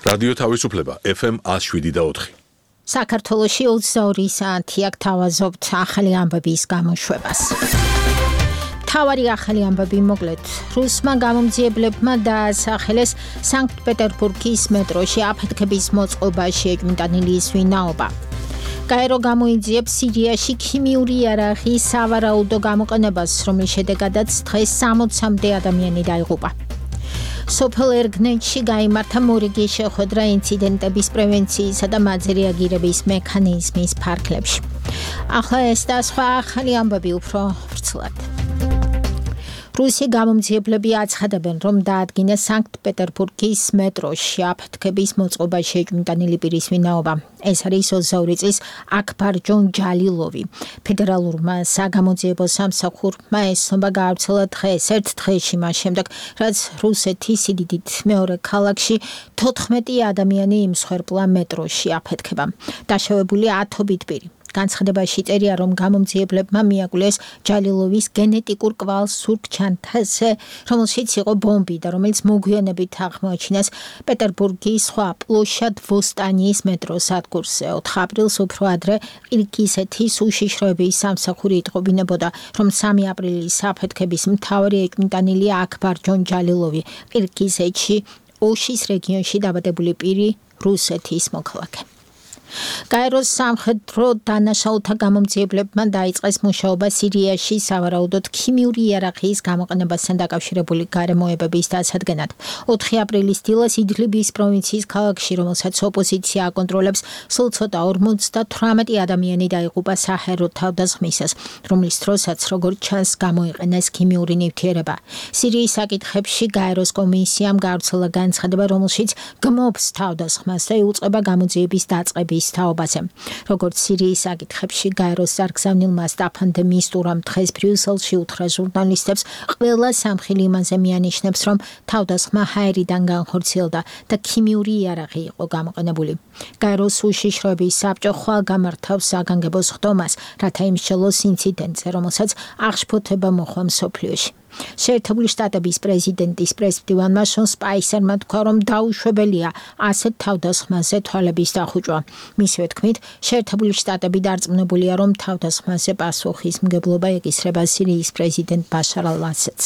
რადიო თავისუფლება FM 107.4. საქართველოში 22 საათი აქ თავაზობთ ახალი ამბების გამოშვებას. თავარი ახალი ამბები მოკლედ. რუსმა გამომძიებლებმა დაასახელეს სანქტ-პეტერბურგის მეტროში აფეთქების მოწყობა შეჭმიტანილი ვინაობა. გაერო გამოიძიებს სირიაში ქიმიური იარაღის სავარაუდო გამოყენებას, რომლის შედეგადაც დღეს 60-მდე ადამიანი დაიღუპა. სოფელ ერგნეთში გაიმართა მორიგი შეხვედრა ინციდენტების პრევენციისა და მათზე რეაგირების მექანიზმის ფარგლებში. ახლა ეს და სხვა ახალი ამბები უფრო ვრცლად. რუსი გამომძიებლები აცხადებენ, რომ დაადგინეს სანქტ-პეტერბურგის მეტროში აფეთქების მოწყობა შეჭმიტანილი პირის ვინაობა. ეს არის 22 წლის აქბარ ჯონჯალილოვი. ფედერალურმა საგამოძიებო სამსახურმა ეს ცნობა გაავრცელა დღეს, ერთ დღეში მას შემდეგ, რაც რუსეთის სიდიდით მეორე ქალაქში 14 ადამიანი იმსხვერპლა მეტროში აფეთქება. დაშავებული 10-ობით პირი. განცხადებაში წერია, რომ გამომძიებლებმა მიაგულეს ჯალილოვის გენეტიკურ კვალს სურგ-ჩანთაზე, რომელშიც იყო ბომბი და რომელიც მოგვიანებით აღმოაჩინეს პეტერბურგის სხვა პლოშად ვოსტანიის მეტროს სადგურზე. 4 აპრილს უფრო ადრე ყირგიზეთის უშიშროების სამსახური იტყობინებოდა, რომ 3 აპრილის აფეთქების მთავარი ეჭმიტანილია აქბარ ჯონჯალილოვი, ყირგიზეთში ოშის რეგიონში დაბადებული პირი, რუსეთის მოქალაქე. გაეროს სამხედრო დანაშაულთა გამომძიებლებმა დაიწყეს მუშაობა სირიაში სავარაუდოდ ქიმიური იარაღის გამოყენებასთან დაკავშირებული გარემოებების დასადგენად. 4 აპრილის დილას იდლიბის პროვინციის ქალაქში, რომელსაც ოპოზიცია აკონტროლებს, სულ ცოტა 58 ადამიანი დაიღუპა საჰაერო თავდასხმისას, რომლის დროსაც, როგორც ჩანს, გამოიყენეს ქიმიური ნივთიერება. სირიის საკითხებში გაეროს კომისიამ გაავრცელა განცხადება, რომელშიც გმობს თავდასხმას და იუწყება გამოძიების დაწყების თაობაზე. როგორც სირიის საკითხებში გაეროს სარგზავნილმა სტაფან დე მისტურამ დღეს ბრიუსელში უთხრა ჟურნალისტებს, ყველა სამხილი იმაზე მიანიშნებს, რომ თავდასხმა ჰაერიდან განხორციელდა და ქიმიური იარაღი იყო გამოყენებული. გაეროს უშიშროების საბჭო ხვალ გამართავს საგანგებო სხდომას, რათა იმსჯელოს ინციდენტზე, რომელსაც აღშფოთება მოჰყვა მსოფლიოში. შეერთებული შტატების პრეზიდენტის პრესმდივანმა შონ სპაისერმა თქვა, რომ დაუშვებელია ასეთ თავდასხმაზე თვალების დახუჭვა. მისივე თქმით, შეერთებული შტატები დარწმუნებულია, რომ თავდასხმაზე პასუხისმგებლობა ეკისრება სირიის პრეზიდენტ ბაშარ ალ-ასადს.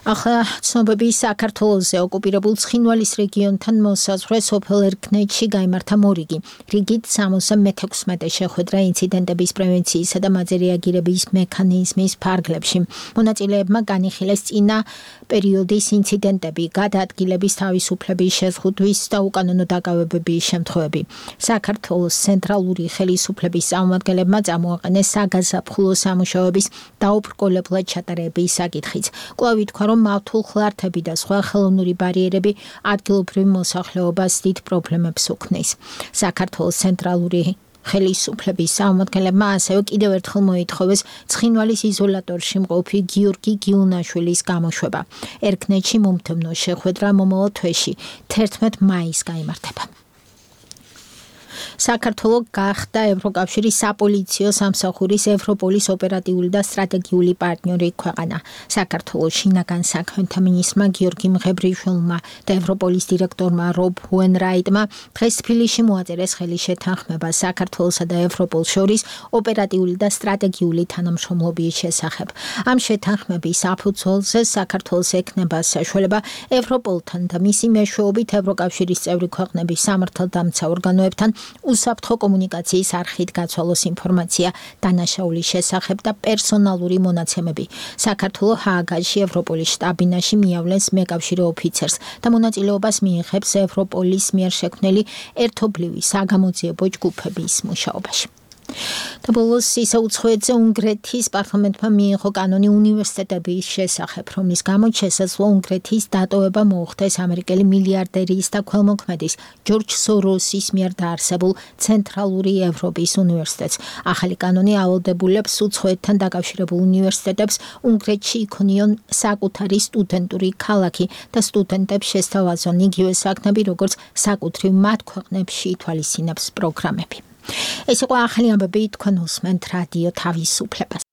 ახლა ცნობები საქართველოზე ოკუპირებულ ცხინვალის რეგიონთან მოსაზღვრე სოფელ ერგნეთში გაიმართა მორიგი. რიგით 76 შეხვედრა ინციდენტების პრევენციისა და მათზე რეაგირების მექანიზმის ფარგლებში. მონაწილეებმა განიხილეს წინა პერიოდის ინციდენტები, გადაადგილების თავისუფლების შეზღუდვის და უკანონო დაკავებების შემთხვევები. საქართველოს ცენტრალური ხელისუფლების წარმომადგენლებმა წამოაყენეს საგაზაფხულო სამუშაოების დაუბრკოლებლად ჩატარების საკითხიც. კვლავ ითქვა, რომ მავთულ ხლართები და სხვა ხელოვნური ბარიერები ადგილობრივ მოსახლეობას დიდ პრობლემებს უქმნის. საქართველოს ცენტრალური ხელისუფლების წარმომადგენლებმა ასევე კიდევ ერთხელ მოითხოვეს ცხინვალის იზოლატორში მყოფი გიორგი გიუნაშვილის გამოშვება. ერგნეთში მომდევნო შეხვედრა მომავალ თვეში 11 მაისს გაიმართება. საქართველო გახდა ევროკავშირის საპოლიციო სამსახურის ევროპოლის ოპერატიული და სტრატეგიული პარტნიორი ქვეყანა. საქართველოს შინაგან საქმეთა მინისტრმა გიორგი მღებრიშვილმა და ევროპოლის დირექტორმა რობ უენრაიტმა დღეს თბილისში მოაწერეს ხელის შეთანხმება საქართველოსა და ევროპოლს შორის ოპერატიული და სტრატეგიული თანამშრომლობის შესახებ. ამ შეთანხმების საფუძველზე საქართველოს ექნება საშუალება ევროპოლთან და მისი მეშვეობით ევროკავშირის წევრი ქვეყნების სამართალდამცა ორგანოებთან უსაფრთხო კომუნიკაციის არხით გაცვალოს ინფორმაცია დანაშაულის შესახებ და პერსონალური მონაცემები. საქართველო ჰააგაში ევროპოლის შტაბ-ბინაში მიავლენს მეკავშირე ოფიცერს და მონაწილეობას მიიღებს ევროპოლის მიერ შექმნილი ერთობლივი საგამოძიებო ჯგუფების მუშაობაში. და ბოლოს ისე უცხოეთზე უნგრეთის პარლამენტმა მიიღო კანონი უნივერსიტეტების შესახებ, რომლის გამოც შესაძლოა უნგრეთის დატოვება მოუხდეს ამერიკელი მილიარდერის და ქველმოქმედის ჯორჯ სოროსის მიერ დაარსებულ ცენტრალური ევროპის უნივერსიტეტს. ახალი კანონი ავალდებულებს უცხოეთთან დაკავშირებულ უნივერსიტეტებს უნგრეთში იქონიონ საკუთარი სტუდენტური ქალაქი და სტუდენტებს შესთავაზონ იგივე საქმეები, როგორც საკუთრივ მათ ქვეყნებში ითვალისწინებს პროგრამები. ეს იყო ახალი ამბები, თქვენ უსმენთ რადიო თავისუფლებას.